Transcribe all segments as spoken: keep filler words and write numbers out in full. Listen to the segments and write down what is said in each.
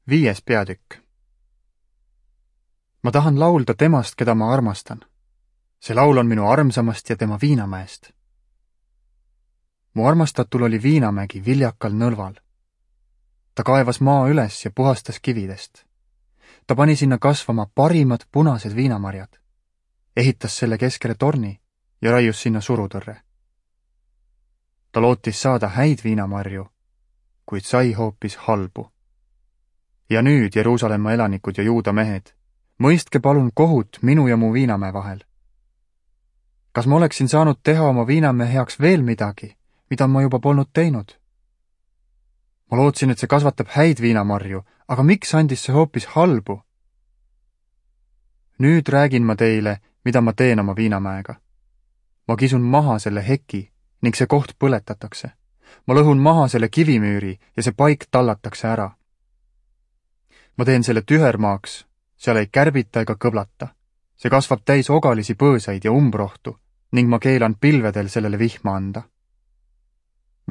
Viies peatükk. Ma tahan laulda temast, keda ma armastan. See laul on minu armsamast ja tema Viinamäest. Mu armastatul oli Viinamägi viljakal nõlval. Ta kaevas maa üles ja puhastas kividest. Ta pani sinna kasvama parimad punased viinamarjad. Ehitas selle keskele torni ja raius sinna surutõrre. Ta lootis saada häid viinamarju, kuid sai hoopis halbu. Ja nüüd, Jeruusalemma elanikud ja Juuda mehed, mõistke palun kohut minu ja mu Viinamäe vahel. Kas ma oleksin saanud teha oma Viinamäe heaks veel midagi, mida ma juba polnud teinud? Ma lootsin, et see kasvatab häid viinamarju, aga miks andis see hoopis halbu? Nüüd räägin ma teile, mida ma teen oma Viinamäega. Ma kisun maha selle heki ning see koht põletatakse. Ma lõhun maha selle kivimüüri ja see paik tallatakse ära. Ma teen selle tühermaaks, seal ei kärbita ega kõblata. See kasvab täis ogalisi põõsaid ja umbrohtu ning ma keelan pilvedel sellele vihma anda.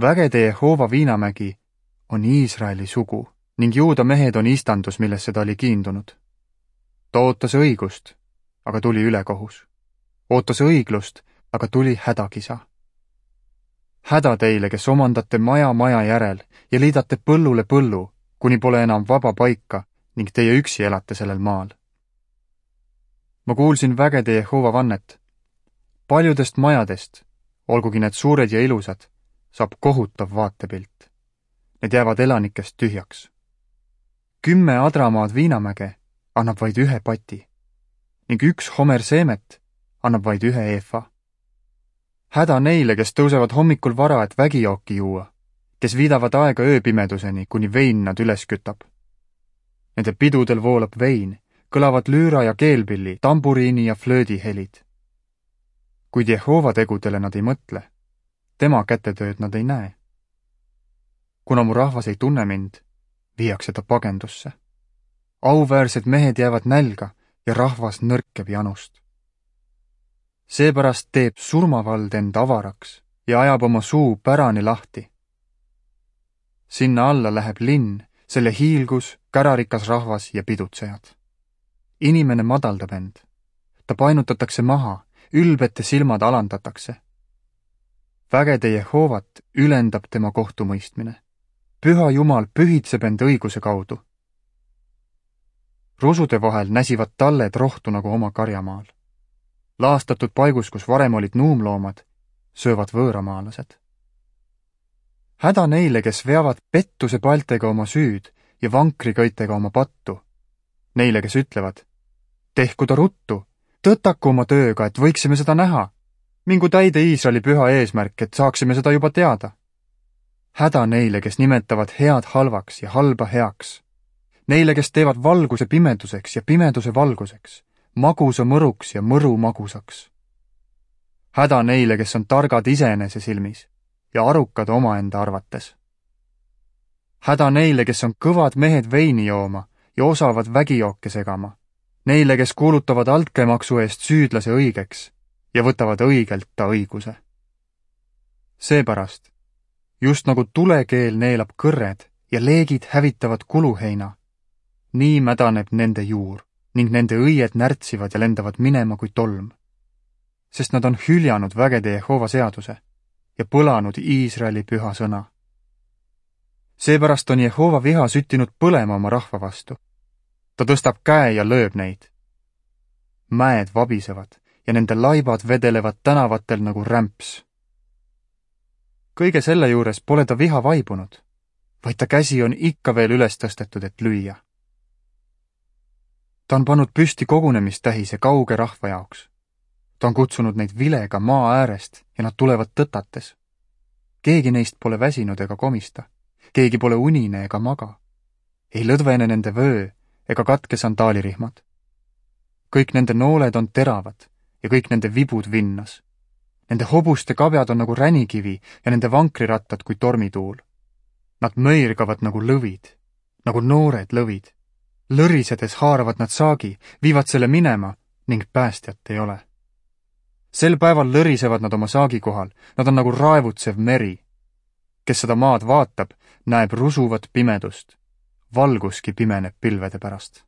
Vägede Jehova Viinamägi on Iisraeli sugu ning Juuda mehed on istandus, millesse ta oli kiindunud. Ta ootas õigust, aga tuli ülekohus. Ootas õiglust, aga tuli hädakisa. Häda teile, kes omandate maja maja järel ja liidate põllule põllu, kuni pole enam vaba paika ning teie üksi elate sellel maal. Ma kuulsin vägede Jehova vannet. Paljudest majadest, olgugi need suured ja ilusad, saab kohutav vaatepilt. Need jäävad elanikest tühjaks. Kümme adramaad Viinamäge annab vaid ühe pati ning üks homer seemet annab vaid ühe eefa. Häda neile, kes tõusevad hommikul vara, et vägijooki juua, kes viidavad aega ööpimeduseni, kuni vein nad üles kütab. Nende pidudel voolab vein, kõlavad lüüra ja keelpilli, tamburiini ja flöödi helid. Kuid Jehova tegudele nad ei mõtle, tema kätetööd nad ei näe. Kuna mu rahvas ei tunne mind, viiakse ta pagendusse. Auväärsed mehed jäävad nälga ja rahvas nõrkeb janust. Seepärast teeb surmavald end avaraks ja ajab oma suu pärani lahti. Sinna alla läheb linn, selle hiilgus, kärarikas rahvas ja pidutsejad. Inimene madaldab end. Ta painutatakse maha, ülbete silmad alandatakse. Vägede Jehovat ülendab tema kohtumõistmine. Püha Jumal pühitseb end õiguse kaudu. Rusude vahel näsivad talled rohtu nagu oma karjamaal. Laastatud paigus, kus varem olid nuumloomad, söövad võõramaalased. Häda neile, kes veavad pettuse paltega oma süüd ja vankrikõitega oma pattu. Neile, kes ütlevad, tehku ta ruttu, tõtaku oma tööga, et võiksime seda näha. Mingu täide Iisraeli püha eesmärk, et saaksime seda juba teada. Häda neile, kes nimetavad head halvaks ja halba heaks. Neile, kes teevad valguse pimeduseks ja pimeduse valguseks, magusa mõruks ja mõru magusaks. Häda neile, kes on targad iseenese silmis ja arukad omaenda arvates. Häda neile, kes on kõvad mehed veini jooma ja osavad vägijooke segama. Neile, kes kuulutavad altkäemaksu eest süüdlase õigeks ja võtavad õigelt ta õiguse. Seepärast, just nagu tulekeel neelab kõrred ja leegid hävitavad kuluheina, nii mädaneb nende juur ning nende õied närtsivad ja lendavad minema kui tolm, sest nad on hüljanud vägede Jehova seaduse ja põlanud Iisraeli püha sõna. Seepärast on Jehova viha süttinud põlema oma rahva vastu. Ta tõstab käe ja lööb neid. Mäed vabisevad ja nende laibad vedelevad tänavatel nagu rämps. Kõige selle juures pole ta viha vaibunud, vaid ta käsi on ikka veel üles tõstetud, et lüüa. Ta on pannud püsti kogunemistähise kauge rahva jaoks. Ta on kutsunud neid vilega maa äärest ja nad tulevad tõtates. Keegi neist pole väsinud ega komista. Keegi pole unine ega maga. Ei lõdvene nende vöö ega katke sandaalirihmad. Kõik nende nooled on teravad ja kõik nende vibud vinnas. Nende hobuste kabjad on nagu ränikivi ja nende vankrirattad kui tormituul. Nad möirgavad nagu lõvid, nagu noored lõvid. Lõrisedes haaravad nad saagi, viivad selle minema ning päästjat ei ole. Sel päeval lõrisevad nad oma saagi kohal, nad on nagu raevutsev meri. Kes seda maad vaatab, näeb rusuvat pimedust. valguski pimeneb pilvede pärast.